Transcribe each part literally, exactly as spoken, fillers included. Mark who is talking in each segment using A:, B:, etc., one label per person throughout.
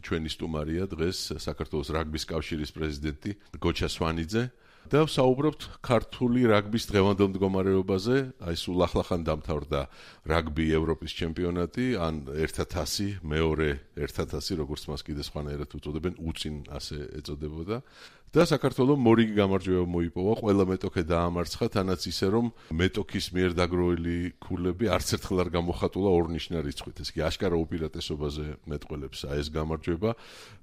A: ჩვენი სტუმარია დღეს საქართველოს რაგბის კავშირის პრეზიდენტი გოჩა სვანიძე და ვსაუბრობთ ქართული რაგბის დღევანდელ მდგომარეობაზე. აი სულ ახლახან დამთავრდა რაგბი ევროპის ჩემპიონატი, ან ერთათასი, მეორე ერთათასი, როგორც მას კიდე სხვანაირად უწოდებენ, უწინ ასე ეწოდებოდა. და საქართველოს მორიგი გამარჯვება მოიპოვა, ყველა მეტოქე დაამარცხა, თანაც ისე რომ მეტოქის მიერ დაგროვილი ქულები არც ერთხელ არ გამოხატულა ორნიშნა რიცხვით. ეს კი აშკარა უპირატესობაზე მეტყველებს ეს გამარჯვება.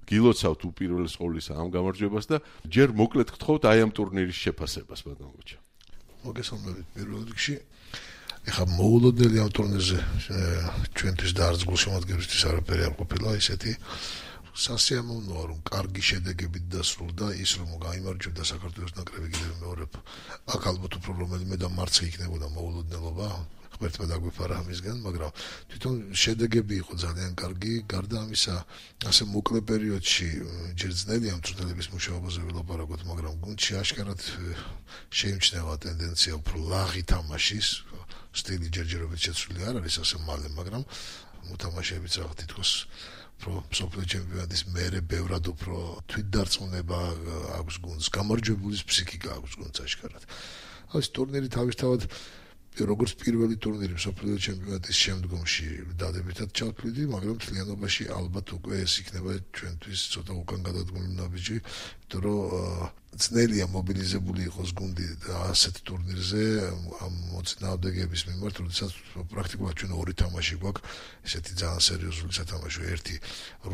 A: გილოცავთ უპირველეს ყოვლისა ამ გამარჯვებას და ჯერ მოკლედ გთხოვთ აი ამ ტურნირის შეფასებას, ბატონ გოჩა.
B: მოგესალმებით პირველ რიგში. ეხლა მოულოდნელი ამ ტურნირზე ჩვენთვის და არც გულშემატკივრისთვის არაფერი არ ყოფილა ისეთი. სასიამოვნოა რომ კარგი შედეგებით დასრულდა ის რომ გაიმარჯვებდა საქართველოს ნაკრები კიდევ მეორე აქ ალბათ უფრო რომელიმე და მარცხი იქნებოდა მოულოდნელობა ღმერთმა დაგვიფარა ამისგან მაგრამ თვითონ შედეგები იყო ძალიან კარგი გარდა ამისა ასე მოკლე პერიოდში ჯერ ძნელია მწვრთნელების მუშაობაზე ველაპარაკოთ მაგრამ გუნდში აშკარად შეიმჩნევა ტენდენცია უფრო ლაღი თამაშის სტილი ჯერჯერობით შეცვლილი არ არის ასე მალე მაგრამ მოთამაშეებიც რაღაც თითქოს pro სოფლიო ჩემპიონატის მერე ბევრად უფრო თვითდარწმუნება აქვს გუნდს, გამარჯვებულის ფსიქიკა აქვს გუნდს აშკარად. ეს ტურნირი თავისთავად როგორც პირველი ტურნირი სოფლიო ჩემპიონატის შემდგომში დადებითად ჩავთვლიდი, მაგრამ მთლიანობაში ალბათ უკვე ეს იქნება ჩვენთვის ცოტა უკან გადადგმული ნაბიჯი, იმიტომ რომ ძნელია მობილიზებული იყოს გუნდი ასეთ ტურნირზე ამ მოწინააღმდეგეების მიმართ, როდესაც პრაქტიკულად ჩვენ ორი თამაში გვაქვს, ესეთი ძალიან სერიოზული სათამაშო, ერთი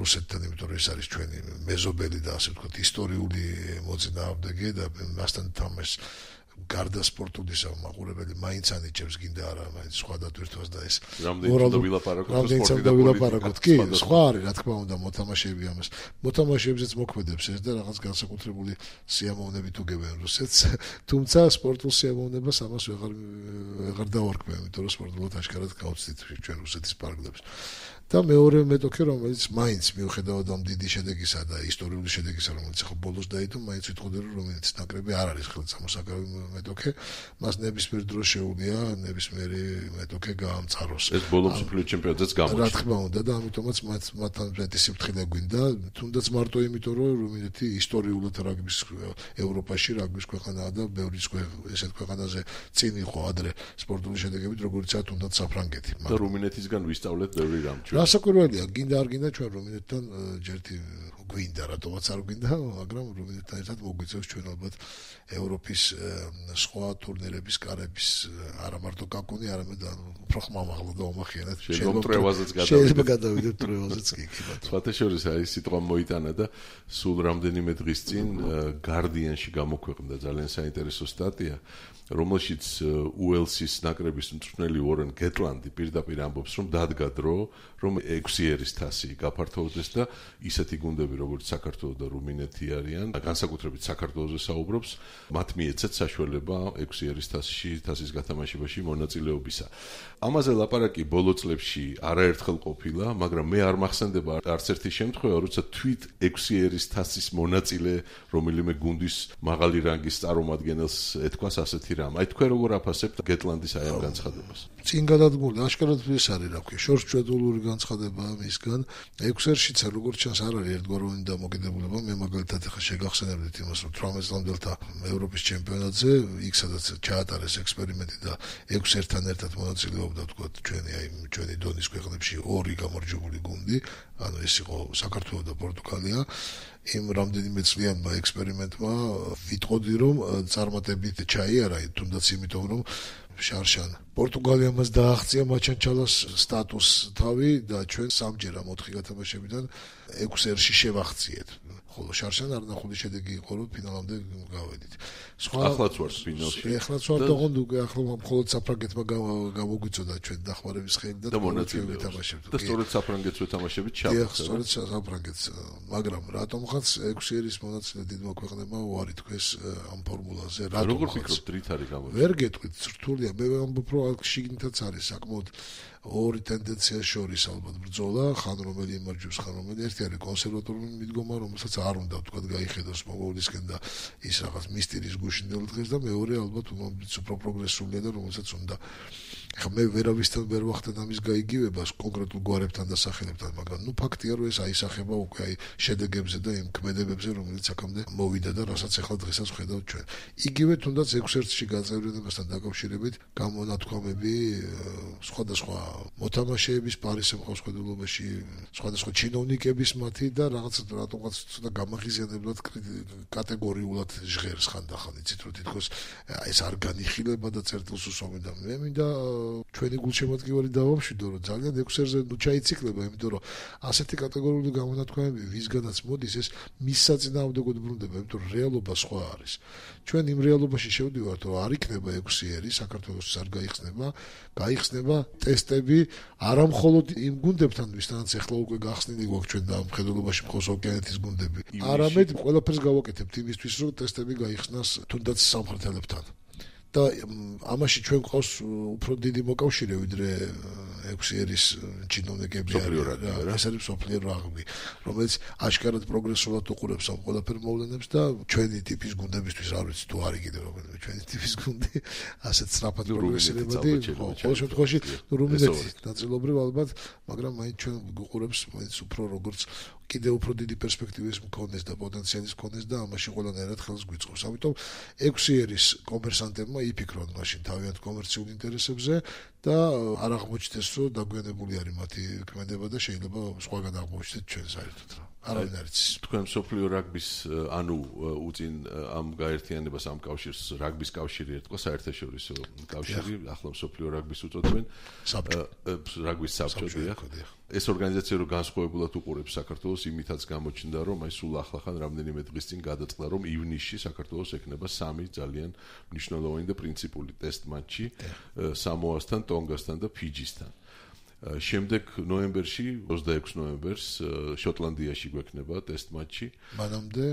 B: რუსეთთან, იმიტომ რომ ეს არის ჩვენი მეზობელი და ასე ვთქვათ, ისტორიული მოწინააღმდეგე და მასთან თამაშს გარდა სპორტულისა მაყურებელი მაინც ანიჭებს გინდა არა მაინც სხვა დატვირთვას და ეს
A: მორალური
B: რამდენიც უნდა ვილაპარაკოთ კი სხვა არის რა თქმა უნდა მოთამაშეები ამას მოთამაშეებზეც მოქმედებს ეს და რაღაც განსაკუთრებული სიამოვნებით უგებენ რუსეთს თუმცა სპორტულ სიამოვნებას ამას ვეღარ ვეღარ დავარქმევ იმიტომ რომ სპორტულად აშკარად გავწვით ჩვენ რუსეთის პარკლებს და მეორე მეტოქე რომელიც მაინც მიუხედავად ამ დიდი შედეგისა და ისტორიული შედეგისა რომელიც ხო ბოლოს დაიდო მაინც ვიტყოდი რომ რომელიც ნაკრები არ არის ხელსამოსაკრავი მეტოქე მას ნებისმიერ დროს შეუძლია ნებისმიერი მეტოქე გაამწაროს
A: ეს ბოლო მსოფლიო ჩემპიონატზეც გამოჩნდა
B: რა თქმა უნდა და ამიტომაც მათ მათთან მეტი სიფრთხილე გვინდა თუნდაც მარტო იმიტომ რომ რუმინეთი ისტორიულად რაგბის ევროპაში რაგბის ქვეყანაა და ბევრი ესეთ ქვეყანაზე წინ იყო ადრე სპორტული შედეგებით როგორიცაა თუნდაც საფრანგეთი
A: და რუმინეთისგან ვისწავლეთ ბევრი რამ
B: რასაკვირველია გინდა არ გინდა ჩვენ რუმინეთთან ჯერთი გვინდა რატომაც არ გვინდა მაგრამ რუმინეთთან ერთად მოგვიწევს ჩვენ ალბათ ევროპის სხვა ტურნირების კარების არა მარტო კაკუნი არამედ უფრო ხმამაღლა და უმახიანად
A: შეიძლება
B: გადავიდეთ ტრევაზეც კი კი ბატონო
A: სხვათა შორის აი სიტყვა მოიტანა და სულ რამდენიმე დღის წინ Guardian-ში გამოქვეყნდა ძალიან საინტერესო სტატია რომელშიც უელსის ნაკრების მწვრთნელი უორენ გეტლანდი პირდაპირ ამბობს რომ დადგა დრო რომ ექვსი ერის თასი გაფართოვდეს და ისეთი გუნდები როგორც საქართველო და რუმინეთი არიან განსაკუთრებით საქართველოზე საუბრობს მათ მიეცეთ საშუალება ექვსი ერის თასში თასის გათამაშებაში მონაწილეობისა ამაზე ლაპარაკი ბოლო წლებში არაერთხელ ყოფილა მაგრამ მე არ მახსენდება არც ერთი შემთხვევა როცა თვით ექვსი ერის თასის მონაწილე რომელიმე გუნდის მაღალი რანგის წარმომადგენელს ეთქვას ასეთი რამ აი თქვენ როგორ აფასებთ გეტლანდის აი ამ განცხადებას
B: წინ გადადგმული აშკარად ეს არის რა ქვია შორსჭედული განცხადება მისგან ექვსი ერშიც როგორც ჩანს არ არის ერთგვაროვანი დამოკიდებულება მე მაგალითად ახლა შეგახსენებდით იმას რომ თვრამეტ წლამდელთა ევროპის ჩემპიონატზე იქ სადაც ჩაატარეს ექსპერიმენტი და ექვსი ერთთან ერთად მონაწილეობდა თქვა ჩვენი აი ჩვენი დონის ქვეყნებში ორი გამარჯვებული გუნდი ანუ ეს იყო საქართველო და პორტუგალია იმ რამდენიმე წლიანმა ექსპერიმენტმა ვიტყოდი რომ წარმატებით ჩაიარა თუნდაც იმიტომ რომ შარშან პორტუგალიამ დააღწია მაჩანჩალას სტატუს თავი და ჩვენ სამჯერ ამ ოთხი გათამაშებიდან ექვსი ერში შევაღწიეთ ხოლო შარშან არნახული შედეგი იყო რომ ფინალამდე გავედით
A: სხვა ახლაც ვარ ფინალში
B: ახლაც ვარ და გონდ უკვე ახლა მხოლოდ საფრანგეთმა გამოგვიწოდა ჩვენ დახმარების ხელი და
A: მონაწილეობა ვეთამაშებთ და სწორედ საფრანგეთს ვეთამაშებით ჩავხსნა
B: სწორედ საფრანგეთს მაგრამ რატომღაც ექვსი ერის მონაწილე დიდმა ქვეყნებმა უარი თქვეს ამ ფორმულაზე
A: რატომ როგორ ფიქრობთ რით არის გამოჩენილი
B: ვერ გეტყვით რთულია მე ამბობ რომ შიგნითაც არის საკმაოდ ორი ტენდენცია შორის ალბათ ბრძოლა ხან რომელი იმარჯვებს ხან რომელი ერთი არის კონსერვატორული მიდგომა რომელსაც არ უნდა თქვა გაიხედოს მოგოვლისკენ და ის რაღაც მისტერის გუშინდელ დღეს და მეორე ალბათ უფრო პროგრესულია და რომელსაც უნდა ხა მე ვერავისთან ვერ ვახდენ ამის გაიგივებას კონკრეტულ გვარებთან და სახელებთან, მაგრამ ნუ ფაქტია რომ ეს აისახება უკვე აი შედეგებზე და იმ ქმედებებზე, რომელიც აქამდე მოვიდა და რასაც ახლა დღესაც ვხედავთ ჩვენ. იგივე თუნდაც ექვს ერთში გაწევრიანებასთან დაკავშირებით გამონათქვამები სხვადასხვა მოთამაშეების პარის შემოხსხვედულობაში, სხვადასხვა ჩინოვნიკების მათი და რაღაც რატომღაც ცოტა გამაღიზიანებლად კატეგორიულად ჟღერს ხანდახან, იცით რომ თითქოს ეს არ განიხილება და წერტილს უსვამენ და მე მინდა ჩვენი გულშემატკივარი დავამშვიდო რომ ძალიან ექვს ერთზე ნუ ჩაიციკლება, იმიტომ რომ ასეთი კატეგორიული გამონათქვამები ვისგანაც მოდის ეს მის საწინააღმდეგოდ ბრუნდება, იმიტომ რომ რეალობა სხვა არის. ჩვენ იმ რეალობაში შევდივართ რომ არ იქნება ექვსი ერი, საქართველოსთვის არ გაიხსნება, გაიხსნება ტესტები არა მხოლოდ იმ გუნდებთან, ვისთანაც ახლა უკვე გახსნილი გვაქვს ჩვენ და მხედველობაში მხოლოდ ოკეანეთის გუნდები. არამედ ყველაფერს გავაკეთებთ იმისთვის, რომ ტესტები გაიხსნას თუნდაც სამხრეთელებთან. და ამაში ჩვენ ყავს უფრო დიდი მოკავშირე ვიდრე ექვსი ერის ჩინოვნიკები არის. ეს არის სოფლიო რაგბი, რომელიც აშკარად პროგრესულად უყურებს ამ ყველაფერ მოვლენებს და ჩვენი ტიპის გუნდებისთვის არ ვიცი თუ არის კიდე რომელიმე ჩვენი ტიპის გუნდი ასეთ სწრაფად პროგრესირებადი, ყოველ შემთხვევაში რუმინეთი ნაწილობრივ ალბათ, მაგრამ მაინც ჩვენ გვუყურებს მაინც უფრო როგორც კიდე უფრო დიდი პერსპექტივის მქონდეს და პოტენციალის მქონდეს და ამაში ყველანაირად ხელს გვიწყობს. ამიტომ ექვსი ერის კომერსანტებმა იფიქრონ მაშინ თავიანთ კომერციულ ინტერესებზე და არ აღმოჩნდეს რომ დაგვიანებული არის მათი ქმედება და შეიძლება სხვაგან აღმოჩნდეს ჩვენ საერთოდ რა. არავინ არ იცის.
A: თქვენ სოფლიო რაგბის ანუ უწინ ამ გაერთიანებას ამ კავშირს რაგბის კავშირი ერთხელ საერთაშორისო კავშირი, ახლა სოფლიო რაგბის უწოდებენ რაგბის საბჭო. ეს ორგანიზაცია რო განსხვავებულად უყურებს საქართველოს, იმითაც გამოჩნდა რომ აი სულ ახლახან რამდენიმე დღის წინ გადაწყდა რომ ივნისში საქართველოს ექნება სამი ძალიან მნიშვნელოვანი და პრინციპული ტესტ მატჩი სამოასთან, ტონგასთან და ფიჯისთან. შემდეგ ნოემბერში, ოცდაექვსი ნოემბერს შოტლანდიაში გვექნება ტესტ მატჩი.
B: მანამდე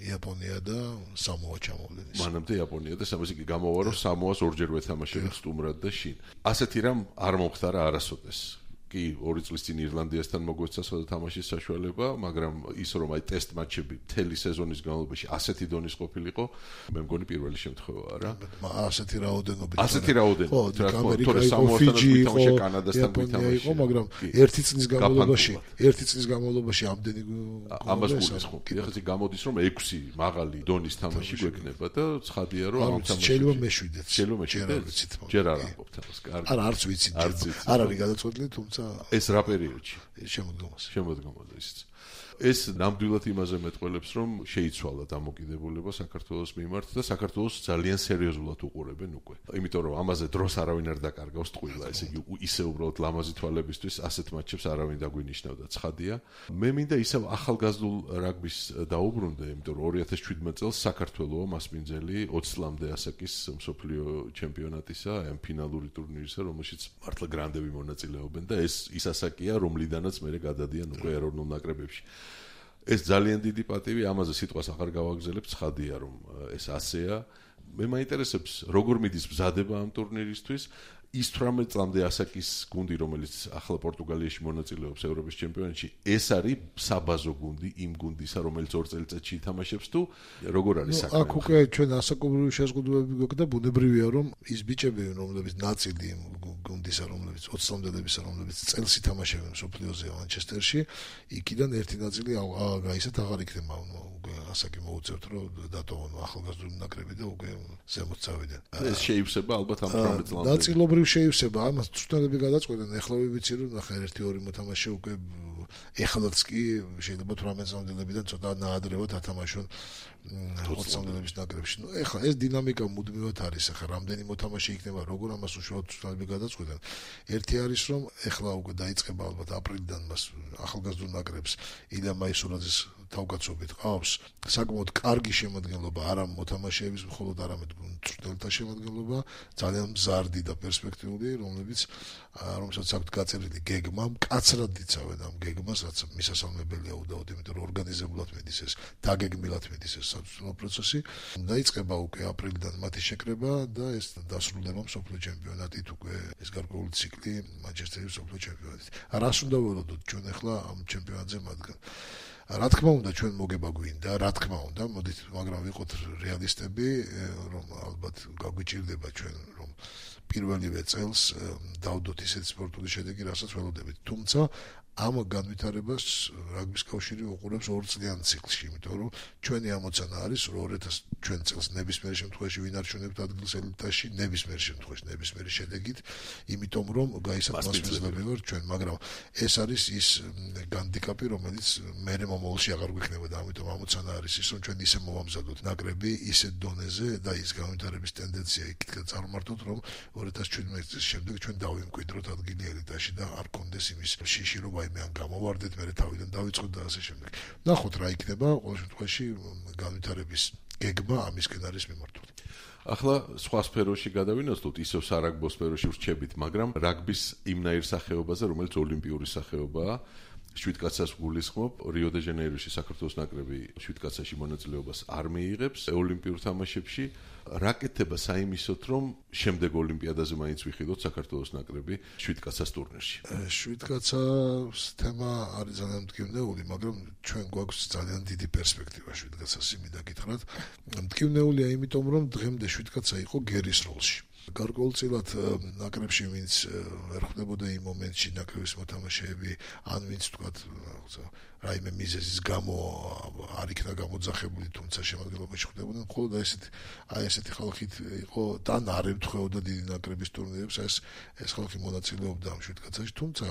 B: იაპონია და სამოა ჩამოვიდეს.
A: მანამდე იაპონია და სამოა კი გამოვა რომ სამოას ორჯერ ვეთამაშებთ სტუმრად და შინ. ასეთი რამ არ მომხდარა არასოდეს. კი ორი წლის წინ ირლანდიასთან მოგვეცა თამაშის საშუალება, მაგრამ ის რომ აი ტესტ მატჩები მთელი სეზონის განმავლობაში ასეთი დონის ყოფილიყო, მე მგონი პირველი შემთხვევაა რა.
B: ასეთი რაოდენობით.
A: ასეთი რაოდენობით.
B: რა თქმა უნდა, სამოასთან ვიტამაშე კანადასთან ვიტამაშე. მაგრამ ერთი წლის განმავლობაში, ერთი წლის განმავლობაში ამდენი
A: ამას გულისხმობ. ეხლა გამოდის რომ ექვსი მაღალი დონის თამაში გვექნება და ცხადია რომ ამ თამაშში
B: შეიძლება მეშვიდეც.
A: შეიძლება მეშვიდეც. ჯერ არ ამბობთ ამას. კარგი.
B: არა, არც ვიცით. არ არის გადაწყვეტილი, თუმცა
A: ეს რა პერიოდში?
B: შემოდგომაზე.
A: შემოდგომაზე ისიც. ეს ნამდვილად იმაზე მეტყველებს, რომ შეიცვალა დამოკიდებულება საქართველოს მიმართ და საქართველოს ძალიან სერიოზულად უყურებენ უკვე. იმიტომ რომ ამაზე დროს არავინ არ დაკარგავს ტყუილა, ესე იგი ისე უბრალოდ ლამაზი თვალებისთვის ასეთ მატჩებს არავინ დაგვინიშნავდა, ცხადია. მე მინდა ისევ ახალგაზრდულ რაგბის დაუბრუნდე, იმიტომ რომ ორი ათას შვიდმეტ წელს საქართველოს მასპინძელი ოცი წლამდე ასაკის მსოფლიო ჩემპიონატისა, ამ ფინალური ტურნირისა, რომელშიც მართლა გრანდები მონაწილეობენ და ეს ის ასაკია, რომლიდანაც მე გადადიან უკვე ეროვნულ ნაკრებებში. ეს ძალიან დიდი პატივი, ამაზე სიტყვას აღარ გავაგზავნებ, ცხადია რომ ეს ასეა. მე მაინტერესებს როგორ მიდის მზადება ამ ტურნირისთვის. ის თვრამეტ წლამდე ასაკის გუნდი, რომელიც ახლა პორტუგალიაში მონაწილეობს ევროპის ჩემპიონატში, ეს არის საბაზო გუნდი იმ გუნდისა, რომელიც ორ წელიწადში ითამაშებს თუ როგორ არის საქმე?
B: აქ უკვე ჩვენ ასაკობრივი შეზღუდვები გვაქვს და ბუნებრივია რომ ის ბიჭები, რომლებიც ნაწილი გუნდისა, რომლებიც ოცი წლამდელებისა, რომლებიც წელს ითამაშებენ სოფლიოზე მანჩესტერში, იქიდან ერთი ნაწილი გაისათ აღარ იქნება ასაკი მოუწევთ რომ დატოვონ ახალგაზრდული ნაკრები და უკვე ზემოთ წავიდნენ.
A: ეს შეივსება ალბათ ამ თვრამეტ წლამდე.
B: ნაწილობრივ შეივსება, ამას ცნობები გადაწყვეტენ. ეხლა ვიცი რომ ნახე ერთი ორი მოთამაშე უკვე ეხლაც კი შეიძლება თვრამეტ წლამდელებიდან ცოტა ნაადრევად ათამაშონ ოცი წლამდელების ნაკრებში. ნუ ეხლა ეს დინამიკა მუდმივად არის. ეხლა რამდენი მოთამაშე იქნება, როგორ ამას უშუალოდ ცნობები გადაწყვეტენ. ერთი არის რომ ეხლა უკვე დაიწყება ალბათ აპრილიდან მას ახალგაზრდულ ნაკრებს ილია მაისურაძის თავკაცობით ყავს საკმაოდ კარგი შემადგენლობა, არა მოთამაშეების მხოლოდ, არამედ მწვრთნელთა შემადგენლობა, ძალიან მზარდი და პერსპექტიული, რომლებიც რომელსაც აქვთ გაწერილი გეგმა, მკაცრად იცავენ ამ გეგმას, რაც მისასალმებელია უდაოდ, იმიტომ რომ ორგანიზებულად მიდის ეს, დაგეგმილად მიდის ეს საწვრთნელო პროცესი. დაიწყება უკვე აპრილიდან მათი შეკრება და ეს დასრულდება მსოფლიო ჩემპიონატით, უკვე ეს გარკვეული ციკლი მანჩესტერის მსოფლიო ჩემპიონატით. რას უნდა ველოდოთ ჩვენ ახლა ამ ჩემპიონატზე მათგან? რა თქმა უნდა ჩვენ მოგება გვინდა, რა თქმა უნდა, მოდით, მაგრამ ვიყოთ რეალისტები, რომ ალბათ გაგვიჭირდება ჩვენ რომ პირველივე წელს დავდოთ ისეთი სპორტული შედეგი, რასაც ველოდებით. თუმცა ამ განვითარებას რაგბის კავშირი უყურებს ორ წლიან ციკლში, იმიტომ რომ ჩვენი ამოცანა არის რომ ორი ათას ჩვენ წელს ნებისმიერ შემთხვევაში ვინარჩუნებთ ადგილს ელიტაში, ნებისმიერ შემთხვევაში ნებისმიერი შედეგით, იმიტომ რომ გაისამართლებელი ვარ ჩვენ, მაგრამ ეს არის ის განდიკაპი, რომელიც მერე მომავალში აღარ გვიქნება და ამიტომ ამოცანა არის ის, რომ ჩვენ ისე მოვამზადოთ ნაკრები ისეთ დონეზე და ის განვითარების ტენდენცია იქით წარმართოთ, რომ ორი ათას შვიდმეტი წლის შემდეგ ჩვენ დავიმკვიდროთ ადგილი ელიტაში და არ კონდეს იმის შიში, რომ მე ან გამოვარდეთ, მე თავიდან დავიწყოთ და ასე შემდეგ. ნახოთ რა იქნება, ყოველ შემთხვევაში განვითარების გეგმა ამისკენ არის მიმართული.
A: ახლა სხვა სფეროში გადავინაცვლოთ, ისევ სარაგბო სფეროში ვრჩებით, მაგრამ რაგბის იმნაირ სახეობაზე, რომელიც ოლიმპიური სახეობაა, შვიდკაცას გულისხმობ, რიო დე ჟანეიროში საქართველოს ნაკრები შვიდკაცაში მონაწილეობას არ მიიღებს ოლიმპიურ თამაშებში. რაკეთება საიმისოთ, რომ შემდეგ ოლიმპიადაზე მაინც ვიხილოთ საქართველოს ნაკრები შვიდკაცას ტურნირში.
B: შვიდკაცას თემა არის ძალიან მტკივნეული, მაგრამ ჩვენ გვაქვს ძალიან დიდი პერსპექტივა შვიდკაცას იმით გითხრათ. მტკივნეულია იმიტომ, რომ დღემდე შვიდკაცა იყო გერის როლში. გარკვეულწილად ნაკრებში ვინც ვერ ხვდებოდა იმ მომენტში ნაკრების მოთამაშეები, ან ვინც თქვათ რაიმე მიზეზის გამო არ იქნა გამოძახებული, თუმცა შემადგენლობაში ხვდებოდნენ, მხოლოდ ესეთი აი ესეთი ხალხით იყო და არ ემთხვეოდა დიდი ნაკრების ტურნირებს, ეს ეს ხალხი მონაწილეობდა ამ შვიდკაცაში, თუმცა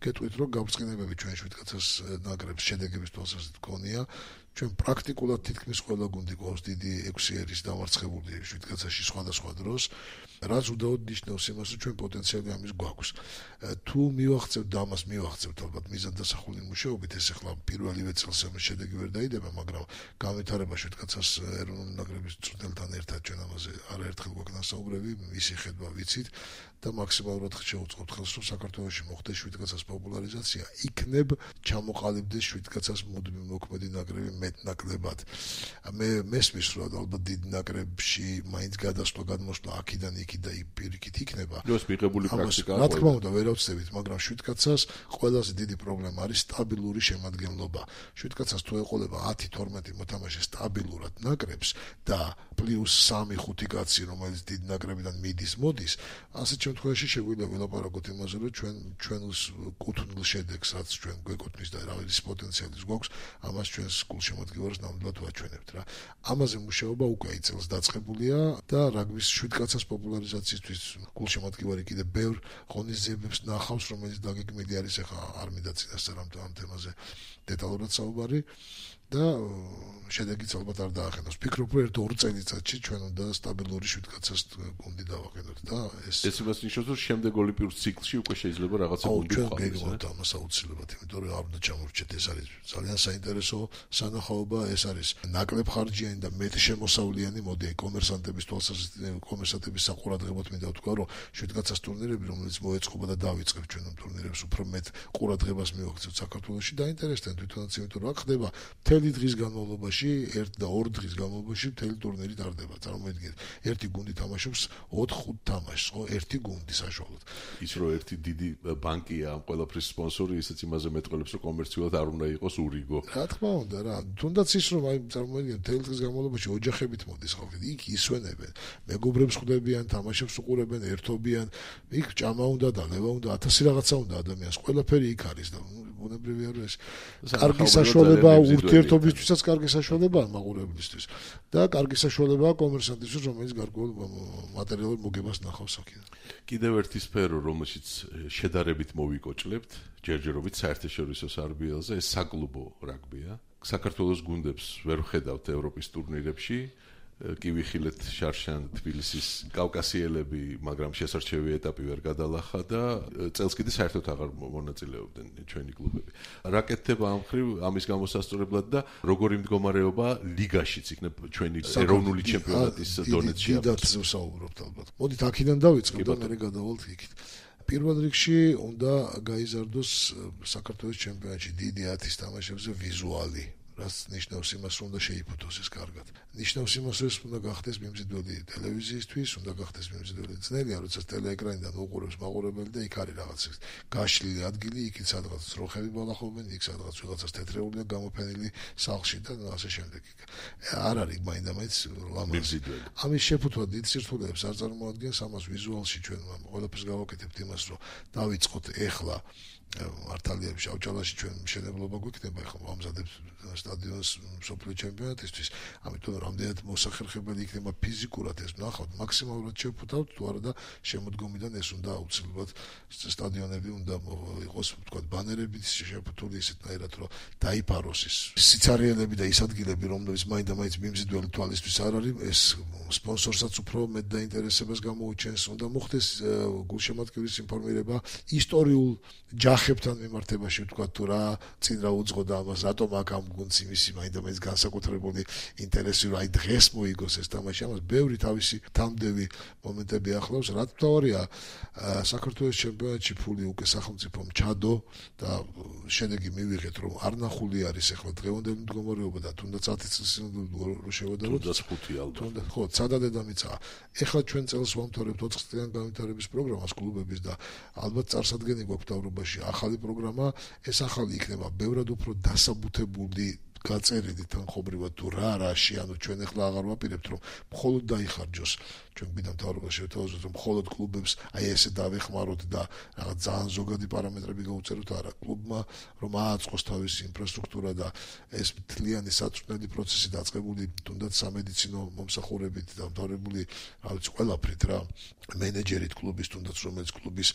B: გეტყვით, რომ გაბრწყინებები ჩვენ შვიდკაცას ნაკრებს შედეგების თვალსაზრისით გქონია, ჩვენ პრაქტიკულად თითქმის ყველა გუნდი გვაქვს დიდი ექვსი ერის დამარცხებული შვიდკაცაში სხვადასხვა დროს, რაც უდაოდ ნიშნავს იმას, რომ ჩვენ პოტენციალი ამის გვაქვს. თუ მივახცევთ და ამას მივახცევთ ალბათ მიზანდასახული მუშაობით, ეს ახლა პირველივე წელს ამის შედეგი ვერ დაიდება, მაგრამ განვითარება შვიდკაცას ეროვნული ნაკრების მწვრთნელთან ერთად ჩვენ ამაზე არაერთხელ გვაქვს ნასაუბრები, მისი ხედვა ვიცით და მაქსიმალურად შევუწყობთ ხელს, რომ საქართველოში მოხდეს შვიდკაცას პოპულარიზაცია, იქნებ ჩამოყალიბდეს შვიდკაცას მუდმივ მოქმედი ნაკრები მეტნაკლებად. მე მესმის, რომ ალბათ დიდ ნაკრებში მაინც გადასვლა გადმოსვლა აქიდან იქით და პირიქით იქნება.
A: ეს მიღებული პრაქტიკაა.
B: რა თქმა უნდა, ვერ ავწევით, მაგრამ შვიდკაცას ყველაზე დიდი პრობლემა არის სტაბილური შემადგენლობა. შვიდკაცას თუ ეყოლება ათი თორმეტი მოთამაშე სტაბილურად ნაკრებს და პლუს სამი ხუთი კაცი, რომელიც დიდ ნაკრებიდან მიდის, მოდის, ასეთ შემთხვევაში შეგვიძლია ვილაპარაკოთ იმაზე, რომ ჩვენ ჩვენს კუთვნილ შედეგს, რაც ჩვენ გვეკუთვნის და რავის პოტენციალის გვაქვს, ამას ჩვენს გულშემატკივარს ნამდვილად ვაჩვენებთ რა. ამაზე მუშაობა უკვე აი წელს დაწყებულია და რაგბის შვიდკაცას პოპულარიზაციისთვის გულშემატკივარი კიდე ბევრ ღონისძიებებს ნახავს, რომელიც დაგეგმილი არის, ახლა არ მინდა წინასწარ ამ თემაზე დეტალურად საუბარი და შედეგიც ალბათ არ დაახენოს. ვფიქრობ, რომ ერთ ორ წელიწადში ჩვენ უნდა სტაბილური შვიდკაცას გუნდი დავაყენოთ და ეს
A: ეს იმას ნიშნავს, რომ შემდეგ ოლიმპიურ ციკლში უკვე შეიძლება რაღაცა გუნდი
B: ჩვენ გეგმავთ ამას აუცილებლად, იმიტომ რომ არ უნდა ჩამოვრჩეთ, ეს არის ძალიან საინტერესო სანახაობა, ეს არის ნაკლებ ხარჯიანი და მეტ შემოსავლიანი მოდი კომერსანტების თვალსაზრისით, კომერსანტების საყურადღებოდ მინდა ვთქვა, რომ შვიდკაცას ტურნირები, რომელიც მოეწყობა და დავიწყებ ჩვენ ამ ტურნირებს, უფრო მეტ ყურადღებას მივაქცევთ საქართველოში და ინტერესთან თვითონაც, იმიტომ რომ აქ ხდება მთელი დღის განმავლობაში, ერთ და ორ დღის განმავლობაში მთელი ტურნირი ტარდება. წარმოიდგინეთ, ერთი გუნდი თამაშობს ოთხ ხუთ თამაშს, ხო, ერთი გუნდი საშუალოდ.
A: ის რომ ერთი დიდი ბანკია ამ ყველაფრის სპონსორი, ისიც იმაზე მეტყველებს, რომ კომერციულად არ უნდა იყოს ურიგო.
B: რა თქმა უნდა, რა. თუნდაც ის რომ აი წარმოიდგინეთ, მთელი დღის განმავლობაში ოჯახებით მოდის ხალხი, იქ ისვენებენ, მეგობრებს ხვდებიან, თამაშებს უყურებენ, ერთობიან, იქ ჭამა უნდა და ლევა უნდა, ათასი რაღაცა უნდა ადამიანს, ყველაფერი იქ არის და ბუნებრივია რომ ეს კარგი საშუალება ურთიერთობისთვისაც კარგი საშუალებაა მაყურებლისთვის და კარგი საშუალებაა კომერსანტისთვის, რომელიც გარკვეულ მატერიალურ მოგებას ნახავს აქედან.
A: კიდევ ერთი სფერო, რომელშიც შედარებით მოვიკოჭლებთ, ჯერჯერობით საერთაშორისო სარბიელზე, ეს საკლუბო რაგბია. საქართველოს გუნდებს ვერ ვხედავთ ევროპის ტურნირებში. კი ვიხილეთ შარშან თბილისის კავკასიელები, მაგრამ შესარჩევი ეტაპი ვერ გადალახა და წელს კიდე საერთოდ აღარ მონაწილეობდნენ ჩვენი კლუბები. რა კეთდება ამ მხრივ ამის გამოსასწორებლად და როგორი მდგომარეობა ლიგაშიც იქნებ ჩვენი ეროვნული ჩემპიონატის დონეში?
B: დიდად ვსაუბრობთ ალბათ. მოდით აქედან დავიწყებ და მე გადავალთ იქით. პირველ რიგში უნდა გაიზარდოს საქართველოს ჩემპიონატში დიდი ათის თამაშებზე ვიზუალი. რაც ნიშნავს იმას, რომ უნდა შეიფუთოს ეს კარგად. ნიშნავს იმას, რომ უნდა გახდეს მიმზიდველი ტელევიზიისთვის, უნდა გახდეს მიმზიდველი ძნელია, როცა ტელეეკრანიდან უყურებს მაყურებელი და იქ არის რაღაც გაშლილი ადგილი, იქით სადღაც ძროხები ბალახობენ, იქ სადღაც ვიღაცას თეთრეული და გამოფენილი სახლში და ასე შემდეგ. არ არის მაინდა-მაინც ლამაზი. ამის შეფუთვა დიდ სირთულეებს არ წარმოადგენს, ამას ვიზუალში ჩვენ ყველაფერს გავაკეთებთ იმას, რომ დავიწყოთ ეხლა მართალია შავჭალაში ჩვენ მშენებლობა გვიქნება, ეხლა ვამზადებთ სტადიონს მსოფლიო ჩემპიონატისთვის, ამიტომ რამდენად მოსახერხებელი იქნება ფიზიკურად ეს ნახავთ, მაქსიმალურად შევფუთავთ, თუ არა და შემოდგომიდან ეს უნდა აუცილებლად სტადიონები უნდა იყოს, ვთქვათ, ბანერებით შეფუთული ისეთნაირად, რომ დაიფაროს ის სიცარიელები და ის ადგილები, რომლებიც მაინდა-მაინც მიმზიდველი თვალისთვის არ არის, ეს სპონსორსაც უფრო მეტ დაინტერესებას გამოუჩენს, უნდა მოხდეს გულშემატკივრის ინფორმირება ისტორიულ ჯახებთან მიმართებაში, ვთქვათ, თუ რა წინ რა უძღოდა ამას, რატომ აქ ამ გუნდს იმისი მაინდა-მაინც განსაკუთრებული ინტერესი, რომ აი დღეს მოიგოს ეს თამაში, ამას ბევრი თავისი თამდევი მომენტები ახლავს, რაც მთავარია საქართველოს ჩემპიონატში ფული უკვე სახელმწიფომ ჩადო და შედეგი მივიღეთ, რომ არ ნახული არის ახლა დღევანდელი მდგომარეობა და თუნდაც ათი წლის რო შევადაროთ,
A: თუნდაც ხუთი ალბათ.
B: თუნდაც ხო, ცადა დედამიწა. ეხლა ჩვენ წელს ვამთავრებთ ოთხ წლიან განვითარების პროგრამას კლუბების და ალბათ წარსადგენი გვაქვს მთავრობაში ახალი პროგრამა, ეს ახალი იქნება ბევრად უფრო დასაბუთებული გაწერილი თანხობრივად თუ რა რაში, ანუ ჩვენ ახლა აღარ ვაპირებთ, რომ მხოლოდ დაიხარჯოს ჩვენ გვინდა მთავრობა შევთავაზოთ, რომ მხოლოდ კლუბებს აი ესე დავეხმაროთ და რაღაც ძალიან ზოგადი პარამეტრები გავუწეროთ, არა, კლუბმა რომ ააწყოს თავისი ინფრასტრუქტურა და ეს მთლიანი საწვრთნელი პროცესი დაწყებული თუნდაც სამედიცინო მომსახურებით და მთავრებული, რა ვიცი, ყველაფრით რა, მენეჯერით კლუბის, თუნდაც რომელიც კლუბის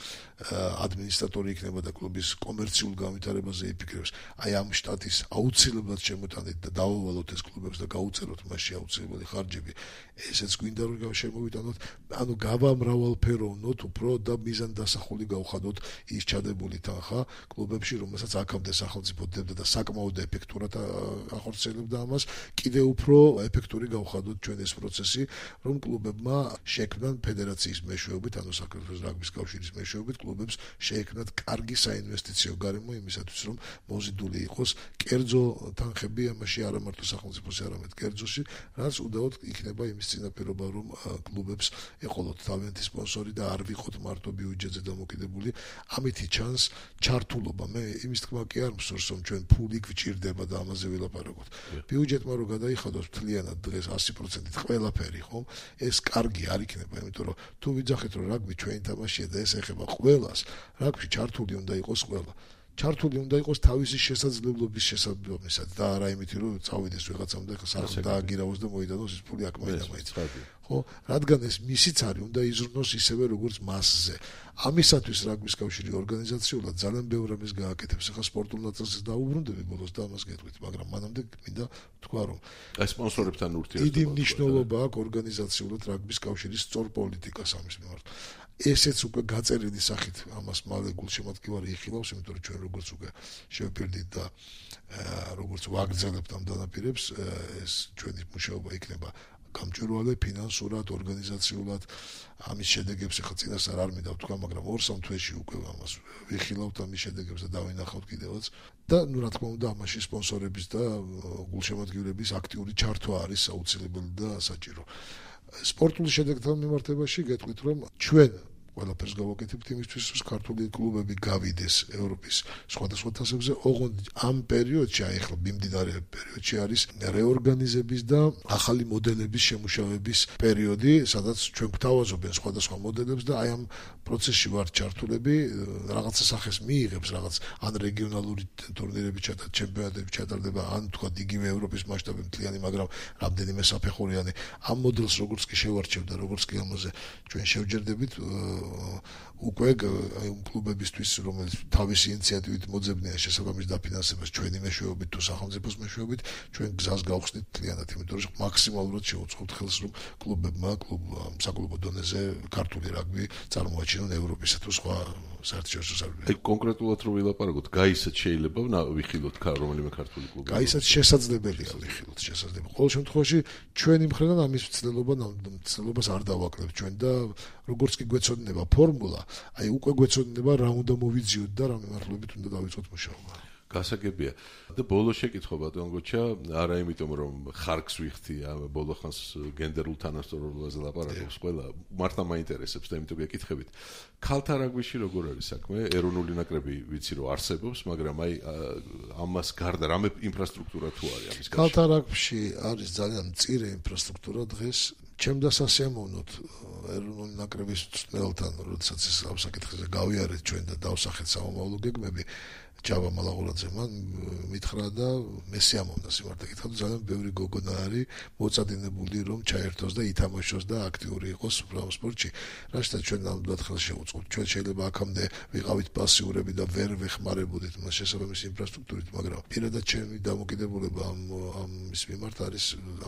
B: ადმინისტრატორი იქნება და კლუბის კომერციულ განვითარებაზე იფიქრებს, აი ამ შტატის აუცილებლად შემოტანით და დავავალოთ ეს კლუბებს და გაუწეროთ მასში აუცილებელი ხარჯები. ესეც გვინდა რომ შემოვიტანოთ, ანუ გავამრავალფეროვნოთ უფრო და მიზან დასახული გავხადოთ ის ჩადებული თანხა კლუბებში, რომელსაც აქამდე სახელმწიფო დებდა და საკმაოდ ეფექტურად ახორციელებდა ამას, კიდე უფრო ეფექტური გავხადოთ ჩვენ ეს პროცესი, რომ კლუბებმა შექმნან ფედერაციის მეშვეობით, ანუ საქართველოს რაგბის კავშირის მეშვეობით კლუბებს შეექმნათ კარგი საინვესტიციო გარემო იმისათვის, რომ მოზიდული იყოს კერძო თანხები ამაში არა მარტო სახელმწიფოს, არამედ კერძოში, რაც უდაოდ იქნება იმის წინაპირობა, რომ კლუბებს ეყოლოთ თავიანთი სპონსორი და არ ვიყოთ მარტო ბიუჯეტზე დამოკიდებული. ამითი ჩანს ჩართულობა. მე იმის თქმა კი არ მსურს, რომ ჩვენ ფული გვჭირდება და ამაზე ვილაპარაკოთ. ბიუჯეტმა რო გადაიხადოს მთლიანად დღეს ასი პროცენტით ყველაფერი, ხომ? ეს კარგი არ იქნება, იმიტომ რომ თუ ვიძახეთ, რომ რაგბი ჩვენი თამაშია და ეს ეხება ყველას, რაგბში ჩართული უნდა იყოს ყველა. ჩართული უნდა იყოს თავისი შესაძლებლობის შესაძლებლობისად და არა იმითი, რომ წავიდეს ვიღაცამ და სახს დააგირავოს და მოიდანოს ის ფული აქ მაინდა-მაინც. ხო, რადგან ეს მისიც არის, უნდა იზრუნოს ისევე როგორც მასზე. ამისათვის რაგბის კავშირი ორგანიზაციულად ძალიან ბევრ რამეს გააკეთებს. ახლა სპორტულ ნაწილს დაუბრუნდები ბოლოს და ამას გეტყვით, მაგრამ მანამდე მინდა თქვა, რომ
A: აი სპონსორებთან ურთიერთობა
B: დიდი მნიშვნელობა აქვს ორგანიზაციულად რაგბის კავშირის სწორ პოლიტიკას ამის მიმართ. ესეც უკვე გაწერილი სახით ამას მალე გულშემატკივარი იხილავს, იმიტომ რომ ჩვენ როგორც უკვე შევფერდით და როგორც ვაგრძელებთ ამ დანაპირებს, ეს ჩვენი მუშაობა იქნება გამჭვირვალე ფინანსურად, ორგანიზაციულად. ამის შედეგებს ახლა წინასწარ არ მინდა ვთქვა, მაგრამ ორ-სამ თვეში უკვე ამას ვიხილავთ ამის შედეგებს და დავინახავთ კიდევაც. და ნუ რა თქმა უნდა, ამაში სპონსორების და გულშემატკივრების აქტიური ჩართვა არის აუცილებელი და საჭირო. სპორტული შედეგთან მიმართებაში გეტყვით, რომ ჩვენ ყველაფერს გავაკეთებთ იმისთვის, რომ ქართული კლუბები გავიდეს ევროპის სხვადასხვა თასებზე. ოღონდ ამ პერიოდში, აი ახლა მიმდინარე პერიოდში არის რეორგანიზების და ახალი მოდელების შემუშავების პერიოდი, სადაც ჩვენ გვთავაზობენ სხვადასხვა მოდელებს და აი ამ პროცესში ვართ ჩართულები, რაღაცა სახეს მიიღებს, რაღაც ან რეგიონალური ტურნირები ჩატარდება, ჩემპიონატები ჩატარდება, ან თქვა იგივე ევროპის მასშტაბით მთლიანი, მაგრამ რამდენიმე საფეხურიანი. ამ მოდელს როგორც კი შევარჩევ და როგორც კი ამაზე ჩვენ შევჯერდებით, უკვე აი კლუბებისთვის, რომელიც თავისი ინიციატივით მოძებნიან შესაბამის დაფინანსებას ჩვენი მეშვეობით თუ სახელმწიფოს მეშვეობით, ჩვენ გზას გავხსნით მთლიანად, იმიტომ რომ მაქსიმალურად შევუწყობთ ხელს, რომ კლუბებმა კლუბ საკლუბო დონეზე ქართული რაგბი წარმოაჩინონ ევროპისა თუ სხვა საერთაშორისო სარბიებში.
A: აი კონკრეტულად რო ვილაპარაკოთ, გაისაც შეიძლება ვიხილოთ რომელიმე ქართული კლუბი.
B: გაისაც შესაძლებელია ვიხილოთ, შესაძლებელი. ყოველ შემთხვევაში ჩვენი მხრიდან ამის მცდელობა მცდელობას არ დავაკლებთ ჩვენ და როგორც კი გვეცოდინება ფორმულა, აი უკვე გვეცოდინება რა უნდა მოვიძიოთ და რა მიმართულებით უნდა დავიწყოთ მუშაობა.
A: გასაგებია. და ბოლო შეკითხვა ბატონ გოჩა, არა იმიტომ რომ ხარკს ვიხთი, ბოლო ხანს გენდერულ თანასწორობაზე ლაპარაკობს ყველა, მართლა მაინტერესებს და იმიტომ გეკითხებით. ქალთა რაგბიში როგორ არის საქმე? ეროვნული ნაკრები ვიცი რომ არსებობს, მაგრამ აი ამას გარდა რამე ინფრასტრუქტურა თუ არის ამის გარშემო?
B: ქალთა რაგბიში არის ძალიან მწირე ინფრასტრუქტურა დღეს. ჩემ დასასიამოვნოთ ეროვნული ნაკრების მწვრთნელთან, როდესაც ეს ამ საკითხზე გავიარეთ ჩვენ და დავსახეთ სამომავლო გეგმები, ჯავა მალაღურაძე მან მითხრა და მე სიამოვნდა სიმართლე გითხრათ, ძალიან ბევრი გოგონა არის მოწადინებული რომ ჩაერთოს და ითამაშოს და აქტიური იყოს უბრალოდ სპორტში. რაშთაც ჩვენ ნამდვილად ხელს შევუწყობთ. ჩვენ შეიძლება აქამდე ვიყავით პასიურები და ვერ ვეხმარებოდით მას შესაბამისი ინფრასტრუქტურით, მაგრამ პირადად ჩემი დამოკიდებულება ამ ამ ის მიმართ არის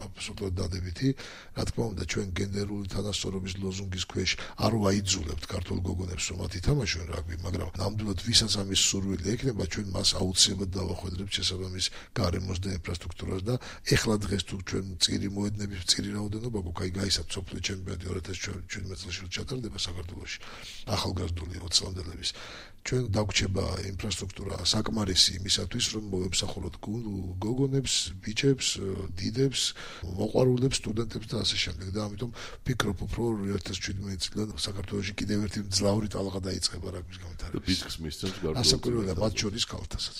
B: აბსოლუტურად დადებითი. რა თქმა უნდა, ჩვენ გენდერული თანასწორობის ლოზუნგის ქვეშ არ ვაიძულებთ ქართულ გოგონებს რომ მათ ითამაშონ რაგბი, მაგრამ ნამდვილად ვისაც ამის სურვილი ექნება, ჩვენ მას აუცილებლად დავახვედრებთ შესაბამის გარემოს და ინფრასტრუქტურას და ეხლა დღეს თუ ჩვენ წირი მოედნების წირი რაოდენობა გვაქვს, აი გაისად მსოფლიო ჩემპიონატი ორი ათას შვიდმეტ წელს ჩატარდება საქართველოში ახალგაზრდული ოცი წლების ჩვენ დაგვრჩება ინფრასტრუქტურა საკმარისი იმისათვის რომ მოემსახუროთ გოგონებს, ბიჭებს, დიდებს, მოყვარულებს, სტუდენტებს და ასე შემდეგ და ამიტომ ვფიქრობ უფრო ორი ათას შვიდმეტ წლიდან საქართველოში კიდევ ერთი მძლავრი ტალღა დაიწყება რაგბის განვითარებას.
A: და ბიძგს მისცემს გარკვეულ
B: ასაკურველია მათ შორის ქალთასაც.